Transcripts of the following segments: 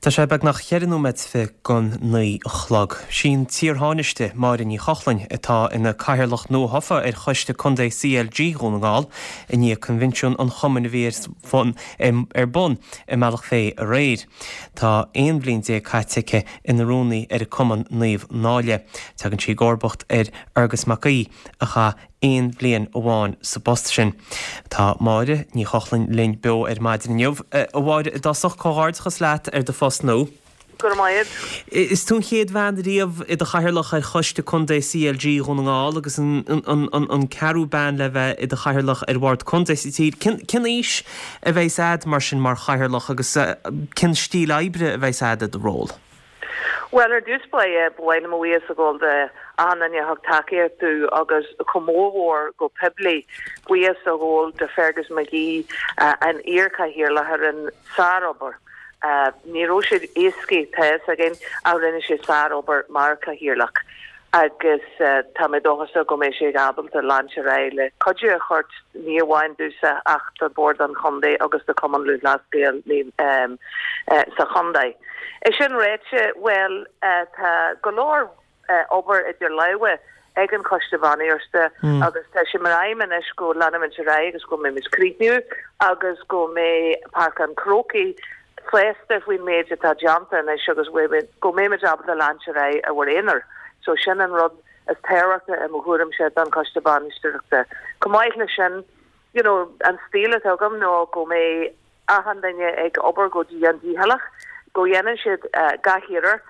Tá sé beagnach cheithre nóiméad don 9 a chlog. Sí an t-iarThánaiste, Máire Ní Chochlainn, atá ina cathaoirleach nuathofa ar Choiste Contae CLG Dhún na nGall i ndiaidh coinbhinsiún an chumainn a bhí ar bun i mBealach Féich aréir. Tá 11 bhliain caite aici ina rúnaí ar an Cumann Naomh Náille. Tagann sí i gcomharbacht ar Fhearghus Mac Aoidh a chaith aon bhliain amháin sa bpost sin. Tá Máire Ní Chochlainn linn beo ar maidin inniu. A Mháire, i dtosach, comhghairdeachas leat ar do phost nua. Go raibh maith agat. Is tú an chéad bhean riamh i do chathaoirleach ar Choiste Contae CLG Dhún na nGall agus an ceathrú bean le bheith i do chathaoirleach ar Bhord Contae sa tír. Cén fhís a bheas a'd mar sin mar chathaoirleach agus cén stíl oibre a bheas a'd i do ról? Bhuel, ar dtús báire, ba mhaith liom mo bhuíochas a ghabháil de achan duine a thug tacaíocht domh agus chomh mórmhór go poiblí, buíochas a ghabháil de Fergus McGee, an iar-chathaoirleach a rinne sárobair. Ní raibh sé éascaí, tá fhios againn, ach rinne sé sárobair mar chathaoirleach agus tá mé dóchasach go mbeidh sé ábalta leanúint ar aghaidh le cuidiú a thabhairt ní amháin domhsa ach do Bhord an Chontae agus do Chumann Lúthchleas Gael sa chontae. É sin ráite, bhuel, tá go leor obair idir lámha ag an Choiste Bainistíochta agus tá sé mar aidhm anois go leanfaimid ar aghaidh agus go mbeimid críochnú agus go mbeidh Páirc an Chrócaigh sásta faoin méid atá déanta anois agus go mbeimid ábalta leanúint ar aghaidh ar ár n-aonar. So sin an rud is tábhachtaí i mo thuairimse don Choiste Bainistíochta. Chomh maith leis sin, you know, an stíl atá agam ná go mbeidh achan duine ag obair go dian dícheallach, go dhéanann siad gach iarracht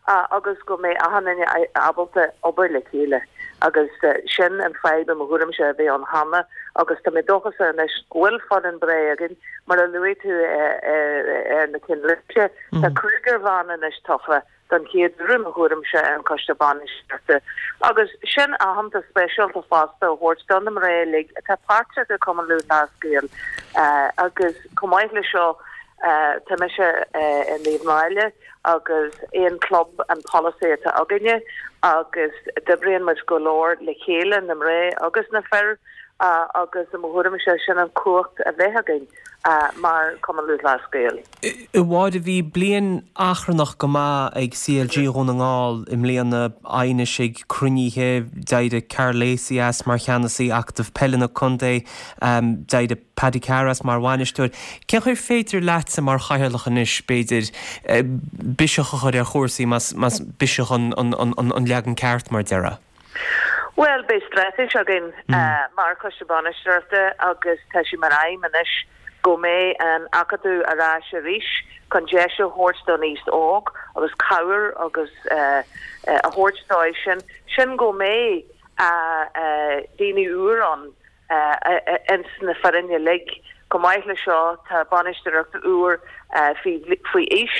agus go mbeidh achan duine ábalta obair le chéile agus sin an fadhb i mo thuairimse a bhí ann cheana agus tá mé dóchasach anois go bhfuil foireann breá againn mar a luaigh tú ar na cinnlínte tá cúigear bhan anois tofa don chéad uair i mo thuairimse ar an Choiste Bainistíochta agus sin aitheantas speisialta fosta a thabhairt do na mná uilig atá páirteach i Cumann Lúthchleas Gael agus chomh maith le seo tá mise i Naomh Náille agus aon club an polasaí atá againne agus d'oibríonn muid go leor le chéile, na mná agus na fir agus i mo thuairimse sin an cumhacht a bheith againn mar Cumann Lúthchleas Gael. A Mháire, bhí bliain achrannach go maith ag CLG Dhún na nGall i mbliana, aighnis ag cruinnithe, d'éirigh Karl Lacey as mar cheannasaí Acadamh Peile na Contae, d'éirigh Paddy Carr as mar bhainisteoir. Cén chaoi ar féidir leatsa mar chathaoirleach anois, b'fhéidir, biseach a chur ar chúrsaí, más biseach an leagan ceart, mar a déarfá? Bhuel, beidh straitéis againn mar Choiste Bainistíochta agus tá sé mar aidhm anois go mbeidh an Acadamh ar ais arís chun deis a thabhairt don aos óg agus cabhair agus a thabhairt dóibh sin, sin go mbeidh daoine úr ann ins na foireann uilig. Chomh maith le seo tá bainisteoireacht úr faoi aois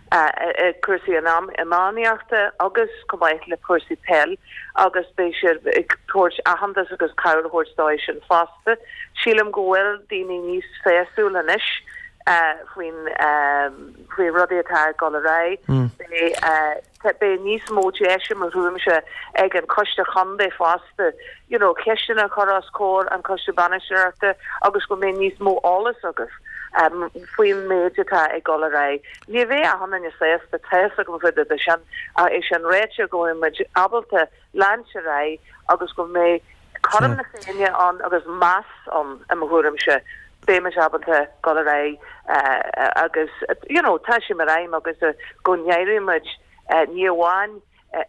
i cúrsaí iománaíochta agus chomh maith le cúrsaí peil agus beidh siad ag tabhairt aitheantas agus cabhair a thabhairt dóibh sin fosta. Sílim go bhfuil daoine níos sásúil anois faoin faoi rudaí atá ag dul ar aghaidh. Beidh Beidh níos mó deis i mo thuairimse ag an Choiste Chontae fosta you know ceisteanna a chur os comhair an Choiste Bainistíochta agus go mbeidh níos mó eolas agaibh faoin méid atá ag dul ar aghaidh. Ní bheidh achan duine sásta, tá fhios agam faoi de sin, ach é sin ráite go mbeidh muid ábalta leanúint ar aghaidh agus go mbeidh cothrom na Féinne ann agus meas ann i mo thuairimse, beidh muid ábalta dul ar aghaidh agus you know tá sé mar aidhm agus go n-éireoidh muid ní amháin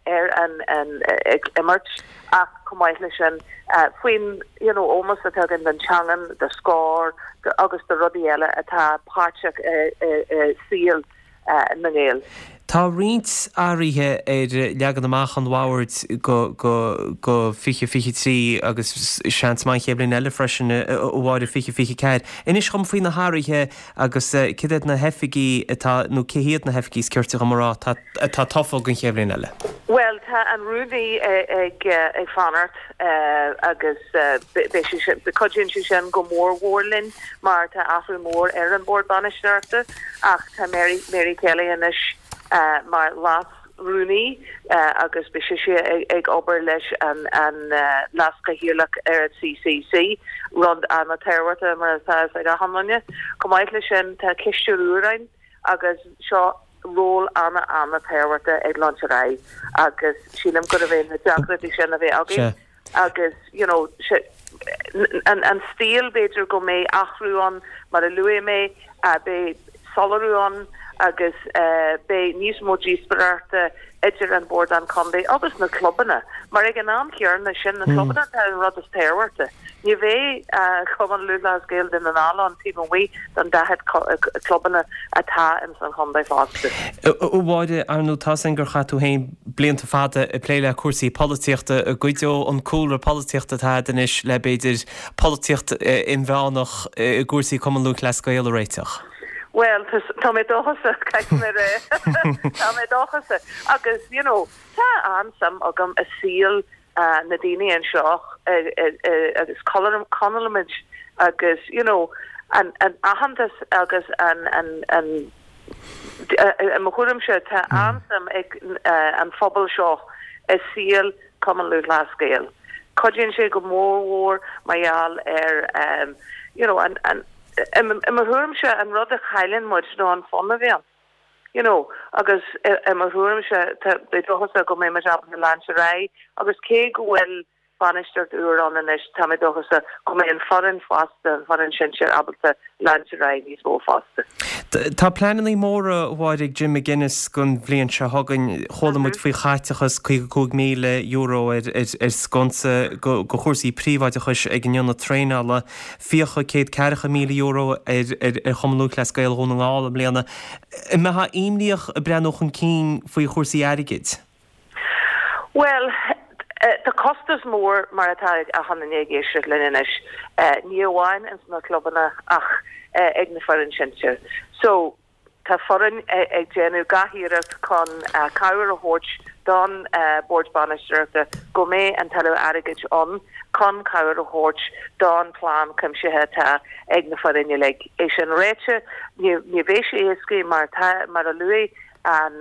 ar an an ag imirt ach chomh maith leis sin faoin you know ómós atá againn don teangan, do Scór agus do rudaí eile atá páirteach i saol na nGael. Tá roinnt athruithe ar leagan amach an bhoird go go 2023 agus seans maith an chéad bhliain eile freisin, a Mháire, 2024. Inis dhom faoi na hathruithe agus céard iad na hoifigí atá, nó cé hiad na hoifigí is cirte dhom a rá, atá tofa don chéad bhliain eile. Bhuel, tá an rúnaí ag fanacht agus beidh sé sin, cuidíonn sé sin go mór mhór linn mar tá athrú mór ar an Bhord Bainistíochta ach tá Mary, Mary Kelly anois mar leas-rúnaí agus beidh sise ag obair leis an leas-chathaoirleach ar an CCC, rud an-tábhachtach mar atá fhios ag achan duine. Chomh maith leis sin tá cisteoir úr ann agus seo. ról ana-ana-tábhachtach ag leanúint ar aghaidh agus sílim gurbh é na deacrachtaí sin a bheith againn agus you know an an stíl b'fhéidir go mbeidh athrú ann mar a luaigh mé beidh soiléiriú ann agus beidh níos mó díospóireachta idir an Bord an Contae agus na clubanna mar ag an am chéanna sin na clubanna atá an rud is tábhachtaí. Ní bheidh Cumann Lúthchleas Gael Dhún na nGall ann taobh amuigh den 40 clubanna atá ins an chontae fosta. A Mháire, ar ndóigh tá's againn gur chaith tú féin blianta fada ag plé le cúrsaí polaitíochta. An gcuideoidh an cúlra polaitíochta atá agat anois le b'fhéidir polaitíocht inmheánach i gcúrsaí Cumann Lúthchleas Gael a réiteach? Bhuel, tá mé dóchasach, caithfidh mé a rá. Tá mé dóchasach. Agus, you know, tá an-suim agam i saol na daoine anseo agus Connallaimid agus you know an aitheantas agus an an an i mo thuairimse tá an-suim ag an phobal seo i saol Cumann Lúthchleas Gael. Cuidíonn sé go mór mhór mar gheall ar you know an an i mo thuairimse an rud a chailleann muid nó an fun a bhíonn ann. You know, agus i mo thuairimse, tá mé dóchasach go mbeidh muid ábalta leanúint ar aghaidh agus cé go bhfuil bainistíocht úr ann anois, tá mé dóchasach go mbeidh an foireann fosta, an foireann sinsir ábalta leanúint ar aghaidh níos mó fosta. Tá pleananna móra, a Mháire, ag Jim McGuinness don bhliain seo chugainn. Chuala muid faoi chaiteachas €55,000 ar sconsa do chúrsaí príobháideachais ag an ionad traenála. Fiacha €140,000 ar Chumann Lúthchleas Gael Dhún na nGall i mbliana. An mbeifeá imníoch ag breathnú chun cinn faoi chúrsaí airgid? Bhuel, tá costas mór mar atá ag achan duine ag éisteacht linn anois, ní amháin ins na clubanna ach ag na foireann sinsir. So, Tá foireann ag déanamh gach iarracht chun cabhair a thabhairt don Bhord Bainistíochta go mbeidh an tuilleadh airgid ann chun cabhair a thabhairt don plean cuimsithe atá ag na foireann uilig. É sin ráite, ní bheidh sé éasca mar tá, mar a luaigh an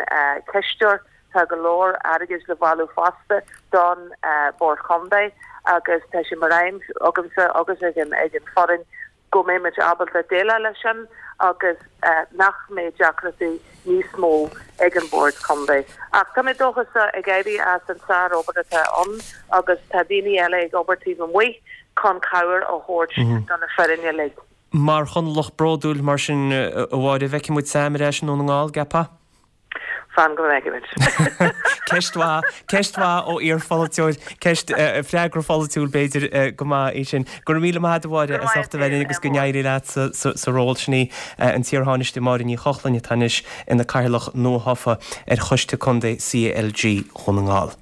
ceisteoir, tá go leor airgid le bailiú fosta don Bhord Chontae agus tá sé mar aidhm agamsa agus ag an foireann go mbeidh muid ábalta déileáil leis sin agus nach mbeidh deacrachtaí níos mó ag an Bhord Contae. Ach tá mé dóchasach ag éirí as an sár-obair atá ann agus tá daoine eile ag obair taobh amuigh chun cabhair a thabhairt do na foirne uilig. Mar Chonallach bródúil mar sin, a Mháire, an bhfeicfidh muid Sam ar ais i nDún na nGall, an gceapfá? Fan go bhfeicfimid. Ceist mhaith, ceist mhaith ó iar-pholaiteoir, ceist, freagra pholaitiúil b'fhéidir go maith í sin. Go raibh míle maith agat a Mháire as ucht a bheith linn agus go n-éirí leat sa ról. Sin í an t-iar-Thánaiste Máire Ní Chochlainn atá anois ina Cathaoirleach nuathofa ar Choiste Contae CLG Dhún na nGall.